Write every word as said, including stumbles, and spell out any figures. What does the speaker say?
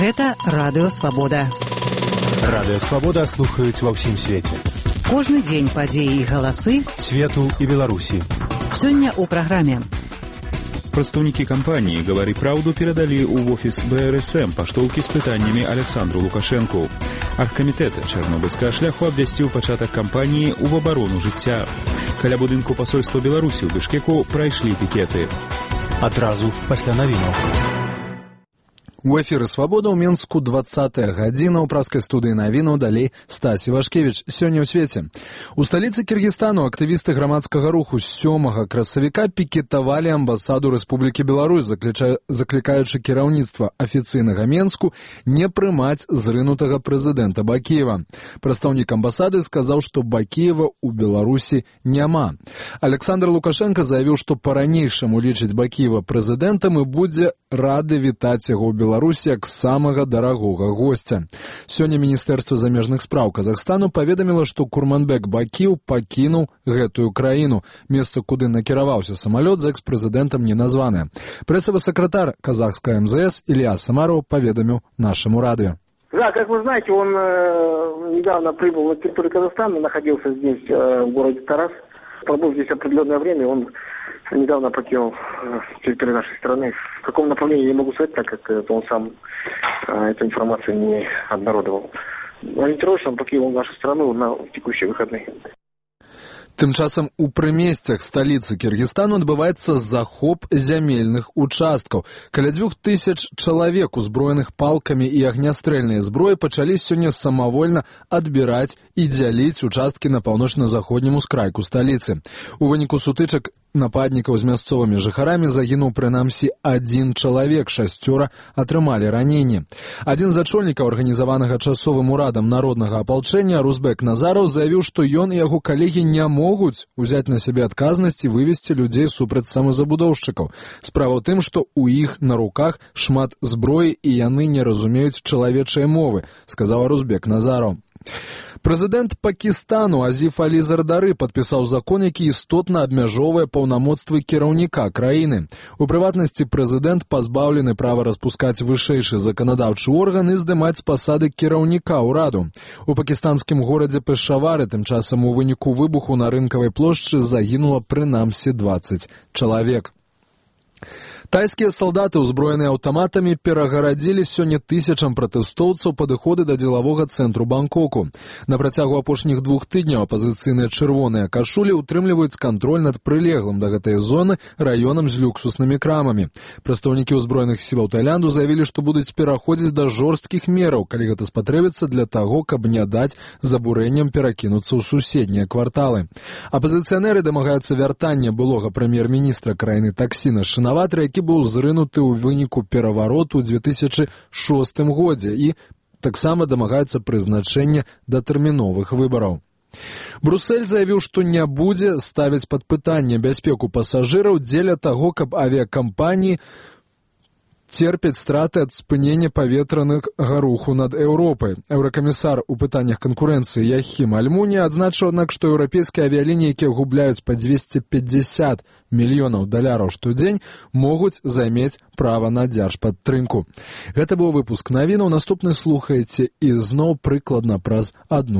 Гэта Радыё Свабода. Радыё Свабода слухаюць ва ўсім свеце. Кожны дзень падзеі і галасы свету і Беларусі. Сёння ў праграме. Прадстаўнікі кампаніі «Гавары праўду» перадалі ў офіс бэ эр эс эм паштоўкі з пытаннямі Александру Лукашэнку. Аргкамітэт чарнобыльскага шляху абвясціў пачатак кампаніі ў абарону жыцця. Каля будынку пасольства Беларусі ў Бішкеку прайшлі пікеты. Адразу пасля навінаў. У эфіры «Свабода» ў Мінску двадцатая гадзіна. У праскай студыі навінаў далей Стасі Вашкевіч. Сёння ў свеце. У сталіцы Кіргізстану актывісты грамадскага руху з сёмага красавіка пікетавалі амбасаду Рэспублікі Беларусь, заклікаючы кіраўніцтва афіцыйнага Менску не прымаць зрынутага прэзідэнта Бакіева. Прадстаўнік амбасады сказаў, што Бакіева ў Беларусі няма. Александр Лукашенко заявіў, што па-ранейшаму лічыць Бакіева прэзідэнтам і будзе рады вітаць яго ў Беларусі Беларусі як самага дарагога госця. Сёння Міністэрства замежных спраў Казахстану паведаміла, што Курманбек Бакіеў пакінуў гэтую краіну. Месца, куды накіраваўся самалёт, з экс-прэзідэнтам не названае. Прэсавы сакратар казахскага эм зэ эс Илья Самаров поведомил нашему радио. Да, как вы знаете, он э, недавно прибыл на территорию Казахстана, находился здесь, э, в городе Тарас. Пробыв здесь определенное время, он недавно покинул территорию нашей страны. В каком направлении я не могу сказать, так как это он сам э, эту информацию не обнародовал. Ориентировочно он покинул нашу страну на текущие выходные. Тым часам у прымесцях сталіцы Кіргізстану адбываецца захоп зямельных участкаў. Каля дзвюх тысяч чалавек, узброеных палкамі і агнястрэльнай зброі, пачалі сёння самавольна адбіраць і дзяліць участкі на паўночна-заходнім ускрайку сталіцы. У выніку сутычак нападнікаў з мясцовымі жыхарамі загінуў прынамсі адзін чалавек, шасцёра атрымалі раненні. Адзін з ачольнікаў арганізаванага часовым урадам народнага апалчэння Рузбек Назараў заявіў, што ён і яго калегі не могуць узяць на сябе адказнасць і вывесці людзей супраць самазабудоўшчыкаў. Справа ў тым, што ў іх на руках шмат зброі і яны не разумеюць чалавечай мовы, сказаў Рузбек Назараў. Прэзідэнт Пакістану Азіф Алі Зардары падпісаў закон, які істотна абмяжоўвае паўнамоцтвы кіраўніка краіны. У прыватнасці прэзідэнт пазбаўлены права распускаць вышэйшы заканадаўчы орган і здымаць з пасады кіраўніка ўраду. У пакістанскім горадзе Пешавары тым часам у выніку выбуху на рынкавай плошчы загінула прынамсі дваццаць чалавек. Тайскія салдаты, узброеныя аўтаматамі, перагарадзілі сёння тысячам пратэстоўцаў падыходы да дзелавога цэнтру Бангкоку. На працягу апошніх двух тыдняў апазіцыйныя чырвоныя кашулі утрымліваюць кантроль над прылеглым да гэтай зоны раёнам з люксуснымі крамамі. Прадстаўнікі ўзброеных сілаў Таіланду заявілі, што будуць пераходзіць да жорсткіх мераў, калі гэта спатрэбіцца для таго, каб не даць забурэнням перакінуцца ў суседнія кварталы. Апазіцыянеры дамагаюцца вяртання былога прэм'ер-міністра краіны Таксіна Шинаватры, які быў зрынуты ў выніку перавароту ў дзве тысячы шостым годзе і таксама дамагаюцца прызначэння датэрміновых выбараў. Брусэль заявіў, што не будзе ставіць пад пытанне бяспеку пасажыраў дзеля таго, каб авіякампаніі терпяць страты ад спынення паветранага руху над Еўропай. Еўракамісар у пытаннях канкурэнцыі Яхім Альмуня адзначыў, аднак, што еўрапейскія авіялініі, якія губляюць па дзвесце пятьдесят мільёнаў даляраў штодзень, могуць займець права на дзяржпадтрымку. Гэта быў выпуск навінаў. Наступны слухаеце і зноў прыкладна праз адну